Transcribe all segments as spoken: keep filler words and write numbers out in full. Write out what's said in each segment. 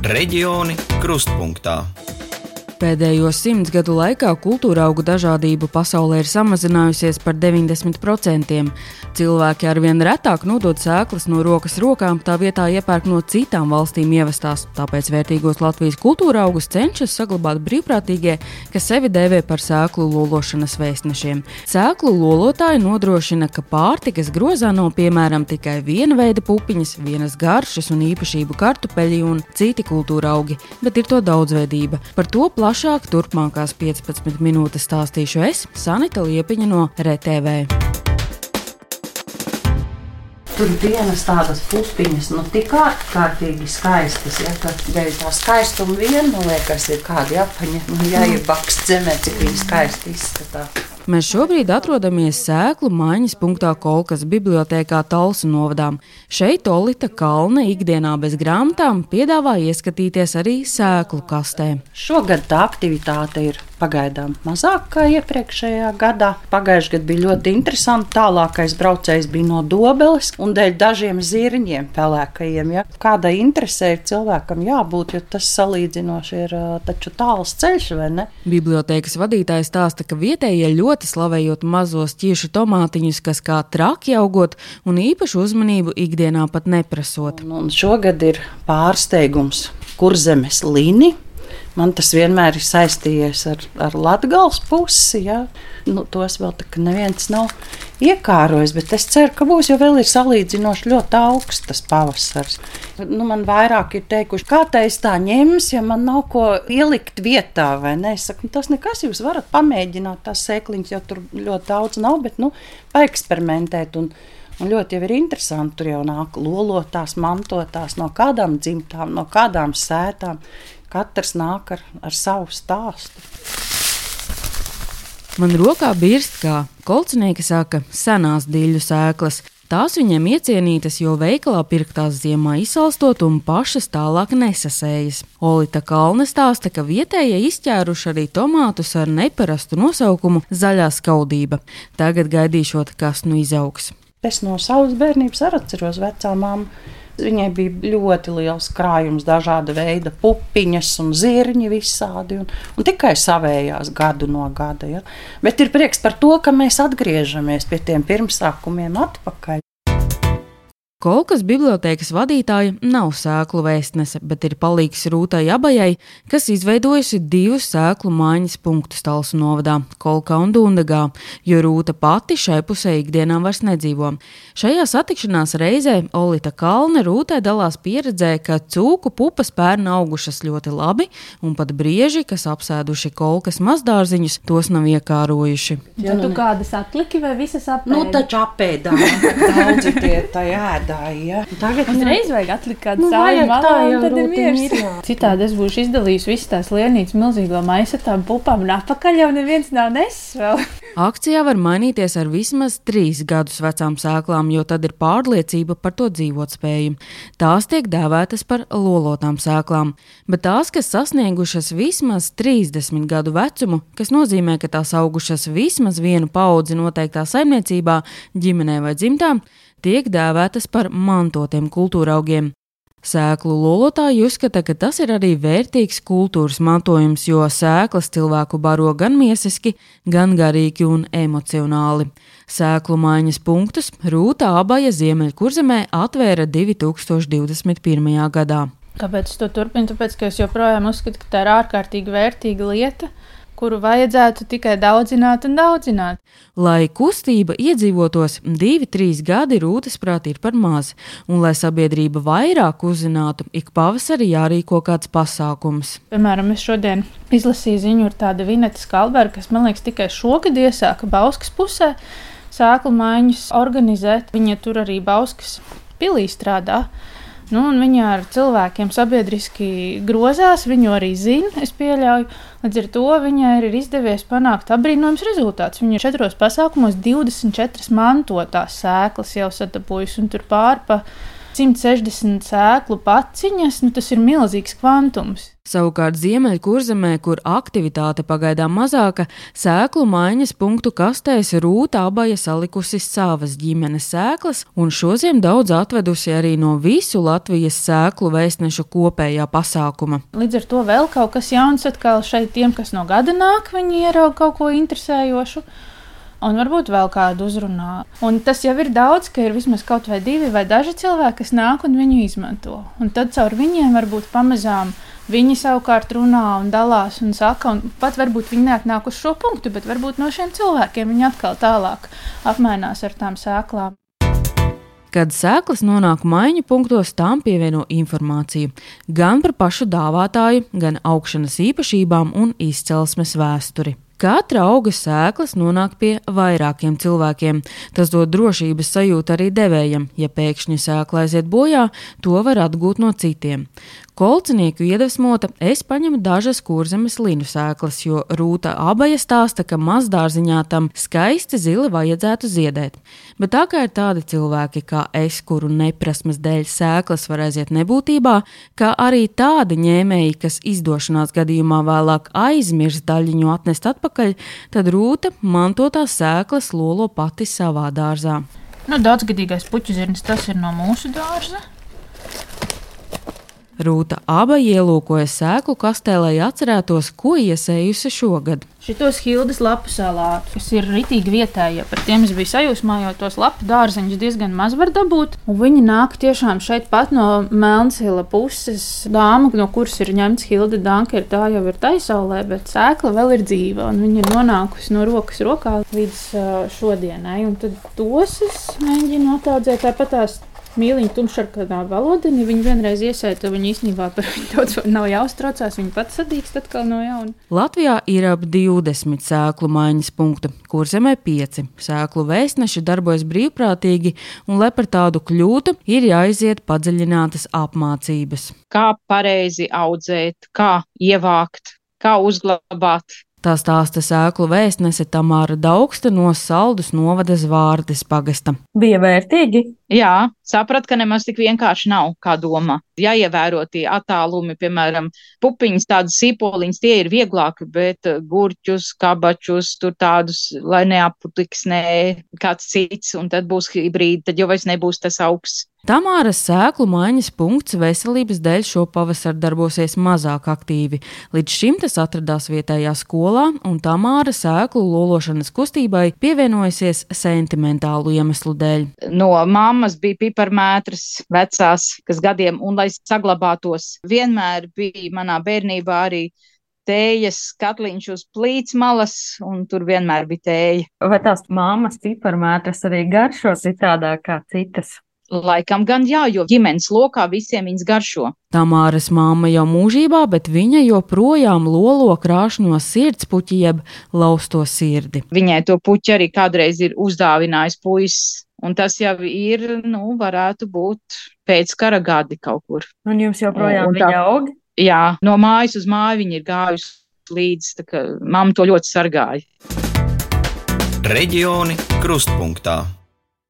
Reģioni krustpunktā. Pēdējo simts gadu laikā kultūra augu dažādība pasaulē ir samazinājusies par deviņdesmit procentiem. Cilvēki arvien retāk nodod sēklas no rokas rokām, tā vietā iepērk no citām valstīm ievestās. Tāpēc vērtīgos Latvijas kultūra augus cenšas saglabāt brīvprātīgie, kas sevi dēvē par sēklu lološanas vēstnešiem. Sēklu lolotāji nodrošina, ka pārtikas grozā nav piemēram tikai viena veida pupiņas, vienas garšas un īpašību kartupeļi un citi kultūra augi, bet ir to daudzveidība. Par to plašāk turpmākās piecpadsmit minūtes stāstīšu es, Sanita Liepiņa no R T V. Tur vienas tādas pupiņas, nu tik ārkārtīgi skaistas, ja, ka dēļ tā skaistuma vien, man liekas, ir kādi apaņi, nu jāiebakst zemē, cik viņi skaisti izskatā. Mēs šobrīd atrodamies sēklu maiņas punktā Kolkas bibliotēkā Talsu novadā. Šeit Olita Kalne ikdienā bez grāmatām piedāvā ieskatīties arī sēklu kastē. Šogad tā aktivitāte ir pagaidām mazāk kā iepriekšējā gadā. Pagājušajā gadā bija ļoti interesanti. Tālākais braucējs bija no Dobeles un dēļ dažiem zirņiem pelēkajiem. Ja. Kādai interesē ir cilvēkam jābūt, jo tas salīdzinoši ir taču tāls ceļš, vai ne? Bibliotēkas vadītājs stāsta, ka vietējie ļoti slavējot mazos ķiešu tomātiņus, kas kā traki augot un īpašu uzmanību ikdienā pat neprasot. Un, un šogad ir pārsteigums Kurzemes lini. Man tas vienmēr ir saistījies ar, ar Latgales pusi. Ja? Nu, tos vēl tā, ka neviens nav iekārojis, bet es ceru, ka būs, jo vēl ir salīdzinoši ļoti augsts tas pavasars. Nu, man vairāk ir teikuši, kā tā es tā ņems, ja man nav ko ielikt vietā, vai ne? Es saku, tas nekas, jūs varat pamēģināt tās sēkliņas, jo tur ļoti daudz nav, bet nu, paeksperimentēt un Un ļoti jau ir interesanti, tur jau nāk lolotās, mantotās no kādām dzimtām, no kādām sētām. Katrs nāk ar, ar savu stāstu. Man rokā birst, kā kolcinieki saka, senās diļu sēklas. Tās viņiem iecienītas, jo veikalā pirktās ziemā izsalstot un pašas tālāk nesasējas. Olita Kalne stāsta, ka vietējie izķēruši arī tomātus ar neparastu nosaukumu zaļā skaudība. Tagad gaidīšot, kas nu izaugs. Es no savas bērnības arī atceros vecā mammu. Viņai bija ļoti liels krājums, dažāda veida pupiņas un zirņi visādi, un, un tikai savējās gadu no gada. Ja. Bet ir prieks par to, ka mēs atgriežamies pie tiem pirmsākumiem atpakaļ. Kolkas bibliotēkas vadītāja nav sēklu vēstnese, bet ir palīgs Rūtai Abajai, kas izveidojusi divus sēklu maiņas punktus Talsu novadā – Kolkā un Dundagā, jo Rūta pati šai pusē ikdienā vairs nedzīvo. Šajā satikšanās reizē Olita Kalne Rūtai dalās pieredzē, ka cūku pupas pērn augušas ļoti labi, un pat brieži, kas apsēduši Kolkas mazdārziņus, tos nav iekārojuši. Ja, tu kādas atliki vai visas apēdi? Nu, taču apēdā, daudzi tie tā ēd. Ja. Tagad uzreiz vajag atlikt kādu nu, savu malā, un tad ir miers. Citādi es būšu izdalījis visas tās lienītes milzīgo maisu ar tām pupām, un atpakaļ jau neviens nav nesis vēl. Akcijā var mainīties ar vismaz trīs gadus vecām sēklām, jo tad ir pārliecība par to dzīvotspēju. Tās tiek dēvētas par lolotām sēklām, bet tās, kas sasniegušas vismaz trīsdesmit gadu vecumu, kas nozīmē, ka tās augušas vismaz vienu paudzi noteiktā saimniecībā, ģimenē vai dzimtā, tiek dēvētas par mantotiem kultūraugiem. Sēklu lolotāji uzskata, ka tas ir arī vērtīgs kultūras mantojums, jo sēklas cilvēku baro gan miesiski, gan garīgi un emocionāli. Sēklu maiņas punktus Rūta Abaja Ziemeļkurzemē atvēra divi tūkstoši divdesmit pirmajā gadā. Kāpēc es to turpinu? Tāpēc, ka es joprojām uzskatu, ka tā ir ārkārtīgi vērtīga lieta, kuru vajadzētu tikai daudzināt un daudzināt. Lai kustība iedzīvotos divi, trīs gadi Rūtas prāt ir par maz, un lai sabiedrība vairāk uzzinātu, ik pavasarī jārīko kāds pasākums. Piemēram, es šodien izlasīju ziņu ar tādu Vineta Skalberga, kas, man liekas, tikai šogad iesāka Bauskas pusē sēklu maiņas organizēt. Viņa tur arī Bauskas pilī strādā. Nu, un viņa ar cilvēkiem sabiedriski grozās, viņu arī zina, es pieļauju. Līdz ar to viņai ir izdevies panākt apbrīnojams rezultāts. Viņa četros pasākumos divdesmit četras mantotās sēklas jau sadabūjusi, un tur pār pa simt sešdesmit sēklu paciņas, nu tas ir milzīgs kvantums. Savukārt Ziemeļkurzemē, kur aktivitāte pagaidām mazāka, sēklu maiņas punktu kastēs Rūta Abaja salikusi savas ģimenes sēklas un šodien daudz atvedusi arī no visu Latvijas sēklu vēstnešu kopējā pasākuma. Līdz ar to vēl kaut kas jauns atkal šeit tiem, kas no gada nāk, viņi ieraug kaut ko interesējošu. Un varbūt vēl kādu uzrunā. Un tas jau ir daudz, ka ir vismaz kaut vai divi vai daži cilvēki, kas nāk un viņu izmanto. Un tad caur viņiem varbūt pamazām viņi savukārt runā un dalās un saka, un pat varbūt viņi neatnāk uz šo punktu, bet varbūt no šiem cilvēkiem viņi atkal tālāk apmainās ar tām sēklām. Kad sēklas nonāk maiņu punktos, tām pievieno informāciju gan par pašu dāvātāju, gan augšanas īpašībām un izcelsmes vēsturi. Katra auga sēklas nonāk pie vairākiem cilvēkiem. Tas dod drošības sajūtu arī devējam. Ja pēkšņi sēkla aiziet bojā, to var atgūt no citiem. Kolcinieku iedvesmota es paņemu dažas Kurzemes linu sēklas, jo Rūta Abaja stāsta, ka mazdārziņā tam skaisti zili vajadzētu ziedēt. Bet tā kā ir tādi cilvēki kā es, kuru neprasmes dēļ sēklas var aiziet nebūtībā, kā arī tādi ņēmēji, kas izdošanās gadījumā vēlāk aizmirst daļiņu atnest atpakaļ, tad Rūta mantotās sēklas lolo pati savā dārzā. Nu, daudzgadīgais puķuzirnis, tas ir no mūsu dārza. Rūta Abaja ielūkoja sēklu kastē, lai atcerētos, ko iesējusi šogad. Šitos Hildes lapu salātus, kas ir ritīgi vietējie, par tiem es biju sajūsmā, jo tos lapu dārzeņus diezgan maz var dabūt. Un viņi nāk tiešām šeit pat no Melnshila puses. Dāma, no kuras ir ņemts Hilde Danker, tā jau ir taisaulē, bet sēkla vēl ir dzīva, un viņa ir nonākusi no rokas rokā līdz uh, šodienai. Un tad tos es mēģinu ataudzēt tāpat tās mīliņu tumšarkanā valodini. Viņi vienreiz iesēta, viņi īstenībā par viņu daudz nav jāuztraucās, viņi pat sadīkst atkal no jauna. Latvijā ir ap divdesmit sēklu maiņas punktu, Kurzemē pieci. Sēklu vēstneši darbojas brīvprātīgi, un, lai par tādu kļūtu, ir jāiziet padziļinātas apmācības. Kā pareizi audzēt, kā ievākt, kā uzglabāt. Tā stāsta sēklu vēstnese Tamāra Daugsta no Saldus novada Zvārdes pagasta. Bija vērtīgi? Jā, saprat, ka nemaz tik vienkārši nav, kā domā. Jāievēro tie attālumi, piemēram, pupiņas, tādas sīpoliņas, tie ir vieglāki, bet gurķus, kabačus, tur tādus, lai neaputiksnē kāds cits, un tad būs hibrīdi, tad jau vairs nebūs tas augsts. Tamāras sēklu maiņas punkts veselības dēļ šo pavasaru darbosies mazāk aktīvi. Līdz šim tas atradās vietējā skolā, un Tamāra sēklu lološanas kustībai pievienojusies sentimentālu iemeslu dēļ. No mammas bija piparmētras vecās, kas gadiem, un lai saglabātos, vienmēr bija manā bērnībā arī tējas katliņš uz plīts malas, un tur vienmēr bija tēja. Vai tās mammas piparmētras arī garšo citādāk kā citas? Laikam gan jā, jo ģimenes lokā visiem viņas garšo. Tamāras mamma jau mūžībā, bet viņa joprojām lolo krāšņo sirdspuķi jeb lausto sirdi. Viņai to puķi arī kādreiz ir uzdāvinājis puisis, un tas jau ir, nu, varētu būt pēc kara gadi kaut kur. Un jums joprojām un viņa tā, aug? Jā, no mājas uz māju viņa ir gājusi līdz, tā kā mamma to ļoti sargāja. Reģioni krustpunktā.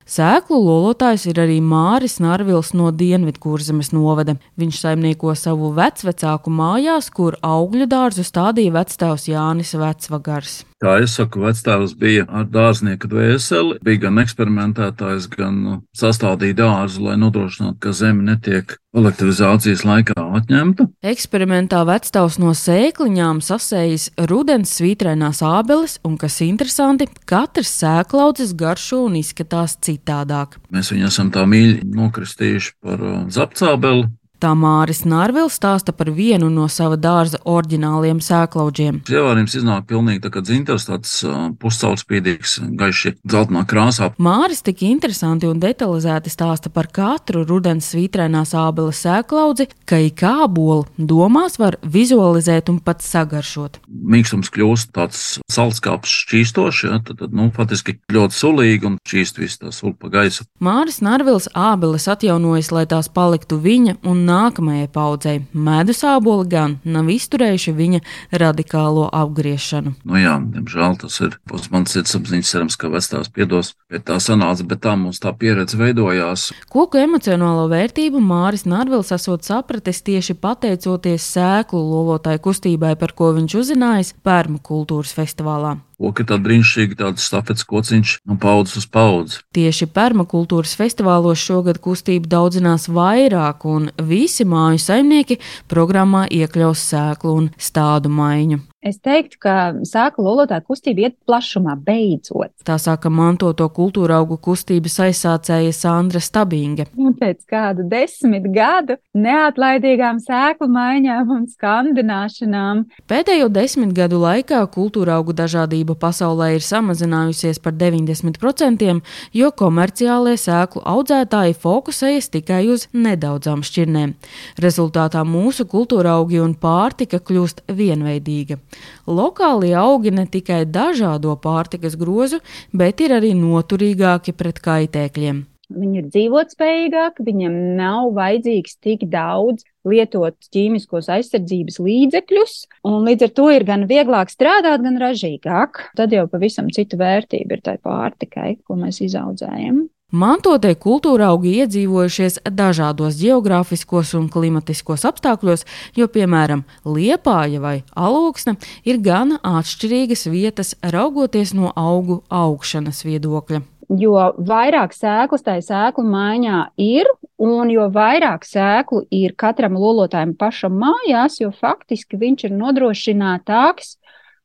Sēklu lolotājs ir arī Māris Narvils no Dienvidkurzemes novada. Viņš saimnieko savu vecvecāku mājās, kur augļu dārzu stādīja vectēvs Jānis Vecvagars. Kā es saku, vectēvs bija ar dārznieka dvēseli, bija gan eksperimentētājs, gan sastādīja dārzu, lai nodrošinātu, ka zeme netiek kolektivizācijas laikā atņemta. Eksperimentā vectēvs no sēkliņām sasējis rudens svītrainās ābeles, un, kas interesanti, katrs sēklaudzes garšo un izskatās citādāk. Mēs viņu esam tā mīļi nokristījuši par zapcābeli. Tā Māris Narvils stāsta par vienu no sava dārza oriģināliem sēklaudžiem. Ievārījums iznāk pilnīgi tā kā dzintars, tāds puscaurspīdīgs, gaiši dzeltenā krāsā. Māris tik interesanti un detalizēti stāsta par katru rudens svītrainās ābeles sēklaudzi, ka ik ābolu domās var vizualizēt un pat sagaršot. Mīkstums kļūst tāds saldskāps šķīstošs, ja, tad, tad, nu, faktiski ļoti sulīgi un šķīst viss tā sula pa gaisu. Māris Narvils ābeles atjaunojas, lai tās paliktu viņa un nākamajai paudzei. Medus āboli gan nav izturējuši viņa radikālo apgriešanu. Nu jā, diemžēl tas ir. Pēc manas sirdsapziņas cerams, ka vecās piedos pie tā sanāca, bet tā mums tā pieredze veidojās. Koku emocionālo vērtību Māris Narvils esot sapratis tieši pateicoties sēklu lolotāju kustībai, par ko viņš uzzinājis Permakultūras festivālā. Koki ir tāda brīnišķīga, tāda stafets kociņš no paudzes uz paudzi. Tieši Permakultūras festivālos šogad kustība daudzinās vairāk, un visi māju saimnieki programmā iekļaus sēklu un stādu maiņu. Es teiktu, ka sēklu lolotāju kustība iet plašumā beidzot. Tā saka mantoto kultūra augu kustības aizsācēja Sandra Stabinge. Un pēc kādu desmit gadu neatlaidīgām sēklu maiņām un skandināšanām. Pēdējo desmit gadu laikā kultūra augu dažādība pasaulē ir samazinājusies par deviņdesmit procentiem, jo komerciālie sēklu audzētāji fokusējas tikai uz nedaudzām šķirnēm. Rezultātā mūsu kultūra augi un pārtika kļūst vienveidīga. Lokālie augi ne tikai dažādo pārtikas grozu, bet ir arī noturīgāki pret kaitēkļiem. Viņi ir dzīvotspējīgāki, viņiem nav vajadzīgs tik daudz lietot ķīmiskos aizsardzības līdzekļus, un līdz ar to ir gan vieglāk strādāt, gan ražīgāk. Tad jau pavisam cita vērtība ir tai pārtikai, ko mēs izaudzējam. Mantotie kultūra augi iedzīvojušies dažādos geogrāfiskos un klimatiskos apstākļos, jo, piemēram, Liepāja vai Alūksne ir gana atšķirīgas vietas, raugoties no augu augšanas viedokļa. Jo vairāk sēklas tai sēklu maiņā ir, un jo vairāk sēklu ir katram lolotājam pašam mājās, jo faktiski viņš ir nodrošinātāks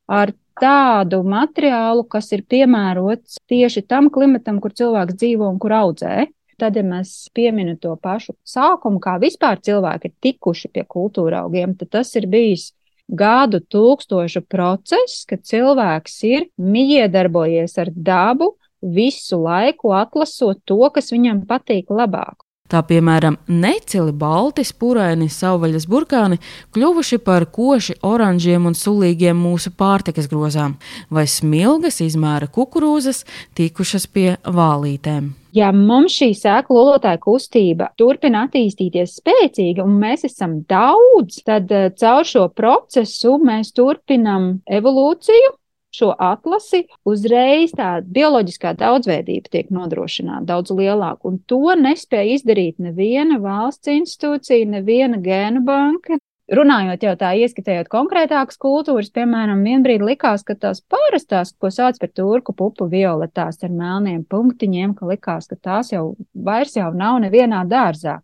ar tādu materiālu, kas ir piemērots tieši tam klimatam, kur cilvēks dzīvo un kur audzē. Tad, ja mēs pieminam to pašu sākumu, kā vispār cilvēki ir tikuši pie kultūra augiem, tad tas ir bijis gadu tūkstošu process, kad cilvēks ir miedarbojies ar dabu, visu laiku atlasot to, kas viņam patīk labāk. Tā piemēram, necili balti, spuraini, savvaļas burkāni kļuvuši par koši oranžiem un sulīgiem mūsu pārtikas grozām, vai smilgas izmēra kukurūzas tikušas pie vālītēm. Ja mums šī sēklu lolotāju kustība turpina attīstīties spēcīgi un mēs esam daudz, tad caur šo procesu mēs turpinam evolūciju, šo atlasi, uzreiz tā bioloģiskā daudzveidība tiek nodrošināta daudz lielāka, un to nespēja izdarīt neviena valsts institūcija, neviena gēnu banka. Runājot jau tā, ieskatējot konkrētākas kultūras, piemēram, vienbrīd likās, ka tās parastās, ko sauc par turku pupu violetās ar melniem punktiņiem, ka likās, ka tās jau vairs jau nav nevienā dārzā.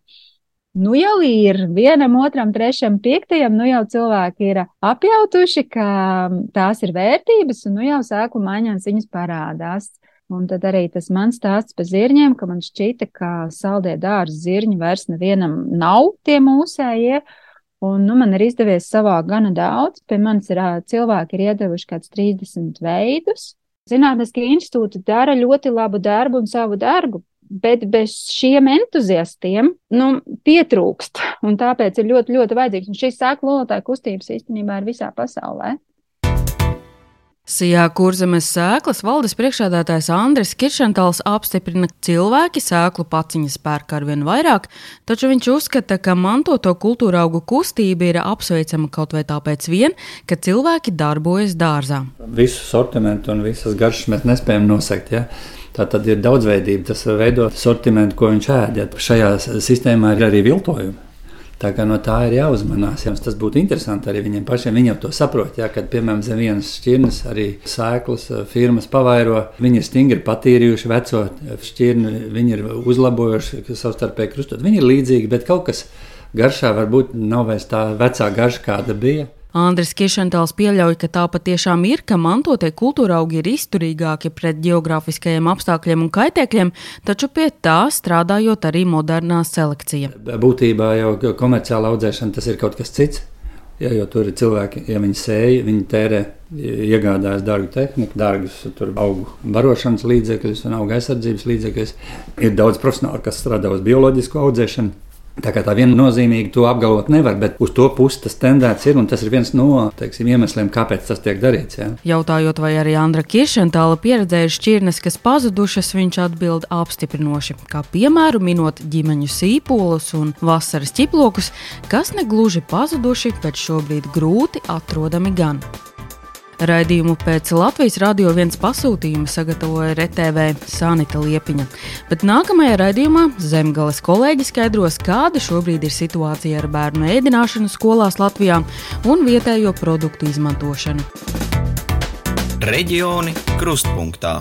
Nu jau ir vienam, otram, trešam, piektajam, nu jau cilvēki ir apjautuši, ka tās ir vērtības, un nu jau sēklu maiņās viņas parādās. Un tad arī tas mans stāsts par zirņiem, ka man šķita, ka saldie dārza zirņi vairs nevienam nav tie mūsējie, un nu man ir izdevies savākt gana daudz. Pie manis ir cilvēki ir iedevuši kāds trīsdesmit veidus. Zinātniskie institūti dara ļoti labu darbu un savu darbu, bet bez šiem entuziastiem, nu, pietrūkst, un tāpēc ir ļoti, ļoti vajadzīgs. Un šīs sēklu lolotāju kustības īstenībā ir visā pasaulē. Sijā Kurzemes sēklas valdes priekšsēdētājs Andris Kiršentals apstiprina, ka cilvēki sēklu paciņas pērk arvien vairāk, taču viņš uzskata, ka mantoto kultūra augu kustība ir apsveicama kaut vai tāpēc vien, ka cilvēki darbojas dārzā. Visu sortimentu un visas garšas mēs nespējam nosegt, ja? Tā tad ir daudzveidība, tas veido sortimentu, ko viņš ēd. Ja šajā sistēmā ir arī viltojumi. Tā kā no tā ir jāuzmanās. Ja. Tas būtu interesanti arī viņiem pašiem. Viņi jau to saprot, ja, kad, piemēram, zem vienas šķirnes arī sēklas firmas pavairo. Viņi ir stingri patīrījuši veco šķirni, viņi ir uzlabojuši savstarpēji krustot. Viņi ir līdzīgi, bet kaut kas garšā varbūt nav vairs tā vecā garša, kāda bija. Andris Kiršentals pieļauj, ka tā patiešām ir, ka mantotie kultūra augi ir izturīgāki pret geogrāfiskajiem apstākļiem un kaitēkļiem, taču pie tā strādājot arī modernā selekcija. Būtībā jau komerciāla audzēšana tas ir kaut kas cits, ja, jo tur ir cilvēki, ja viņi sēja, viņi tērē, iegādājas dārgu tehniku, dārgus tur augu barošanas līdzekļus un auga aizsardzības līdzekļus. Ir daudz profesionāli, kas strādā uz bioloģisku audzēšanu. Tā kā tā viennozīmīgi to apgalvot nevar, bet uz to pusi tas tendēts ir, un tas ir viens no, teiksim, iemesliem, kāpēc tas tiek darīts. Jā. Jautājot, vai arī Andra Kiršentāla pieredzējuši šķirnes, kas pazudušas, viņš atbild apstiprinoši, kā piemēru minot ģimeņu sīpolus un vasaras ķiplokus, kas negluži pazuduši, bet šobrīd grūti atrodami gan. Raidījumu pēc Latvijas Radio viens pasūtījuma sagatavoja R T V Sanita Liepiņa, bet nākamajā raidījumā Zemgales kolēģi skaidros, kāda šobrīd ir situācija ar bērnu ēdināšanu skolās Latvijā un vietējo produktu izmantošanu. Reģioni krustpunktā.